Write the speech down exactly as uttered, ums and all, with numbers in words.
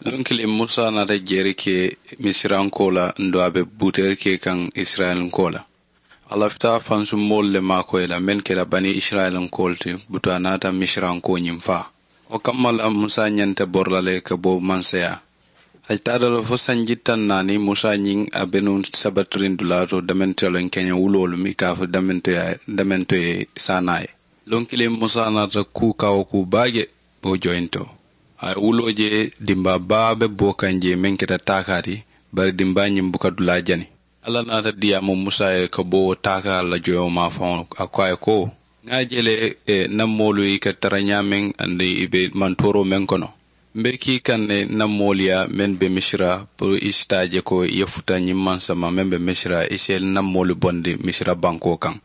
Luŋ kiliŋ musa naata jeeri ke misirankoo la nduŋ a be buteeri ke kaŋ isirayilinko la. A lafita fansumoolu le maakoyi la meŋ keta bani isirayilinkoolu ti butu a naata misirankoo ñiŋ faa. Wo kamma la musa ñanta bori la le ka bo mansayaa. A taata la fo sanji taŋ naani musa ñiŋ a be nuŋ sabatiriŋ dulaa to damentoyaloŋ keñe wuloolu mi ka a fo damentoye saanaa ye. Luŋ kiliŋ musa naata kuu kawo kuu baa je wo joyinto. A ye wuloo je dimbaa baa be boo kaŋ je meŋ keta taakaa ti. Bari dimbaa ñiŋ buka dulaa jani. Alla naata diyaamu musa ye ka bo wo taakaa la joyoo maafaŋo a ko a ye ko, ŋa a je le ǹ na moolu i ka tara ñaameŋ aduŋ i be mantooroo meŋ kono. M̀ be kii kaŋ ne ǹ na moolu yaa meŋ be misira puru i si taa je ko i ye futa ñiŋ maŋ sama meŋ be misira i si ǹ na moolu bondi misira bankoo kaŋ.